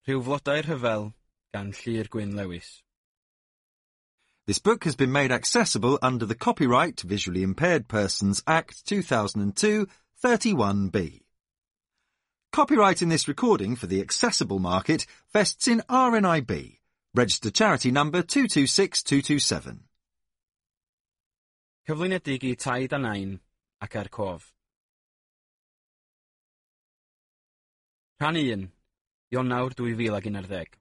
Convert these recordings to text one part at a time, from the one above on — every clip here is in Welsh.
Rhyw Flodau Rhyfel gan Llŷr Gwyn Lewis. This book has been made accessible under the Copyright Visually Impaired Persons Act 2002 31B. Copyright in this recording for the accessible market vests in RNIB, registered charity number 226227. Cyflwynedig i Taid a Nain ac er cof. Rhan 1. Ionawr 2011.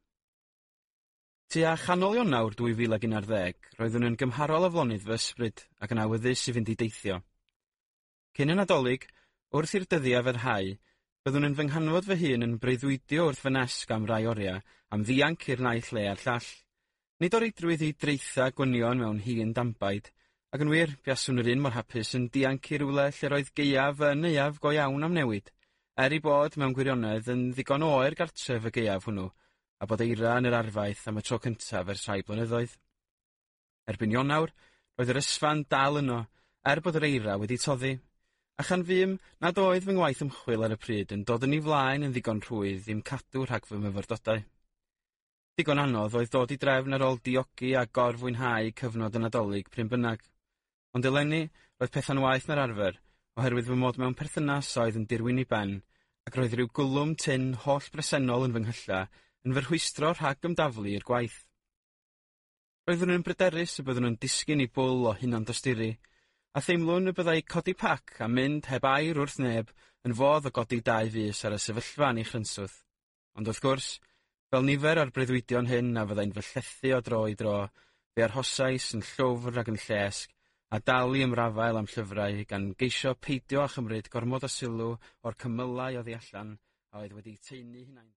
Tua chanol Ionawr 2011, roeddwn yn gymharol aflonydd fy ysbryd ac yn awyddus i fynd i deithio. Cyn y Nadolig, wrth i'r dyddiau fyrhau, byddwn yn fy nghanfod fy hun yn breuddwydio wrth fy nesg am rai oriau, am ddianc i'r naill le a'r llall. Nid o reidrwydd i draetha gwynion mewn hin dambaid, ac yn wir, buaswn yr un mor hapus yn dianc i rywle lle roedd gaeaf yn aeaf go iawn am newid, er ei bod mewn gwirionedd yn ddigon oer gartref y gaeaf hwnnw, a bod eira yn yr arfaeth am y tro cyntaf ers rhai blynyddoedd. Erbyn Ionawr, roedd yr ysfa'n dal yno, er bod yr eira wedi toddi, a chan fum nad oedd fy ngwaith ymchwil ar y pryd yn dod yn ei flaen yn ddigon rhwydd i'm cadw rhag fy myfyrdodau. Digon anodd oedd dod i drefn ar ôl diogi a gorfwynhau cyfnod y Nadolig pryn bynnag. Ond eleni, roedd pethau'n waeth na'r arfer, oherwydd fy mod mewn perthynas oedd yn dirwyn i ben, ac roedd rhyw gwlwm tynn holl bresennol yn fy nghylla yn fy rhwystro rhag ymdaflu i'r gwaith. Roeddwn yn bryderus y byddwn yn disgyn i bwl o hunan-dosturi, a theimlwn y byddai codi pac a mynd heb air wrth neb yn fodd o godi dau fys ar y sefyllfa yn ei chrynswth. Ond wrth gwrs, fel nifer o'r breuddwydion hyn a fyddai'n fy llethu o dro i dro, fe arhosais yn llwfr ac yn llesg, a dal i ymrafael am llyfrau gan geisio peidio â chymryd gormod o sylw o'r cymylau oddi allan a oedd wedi taenu hunain.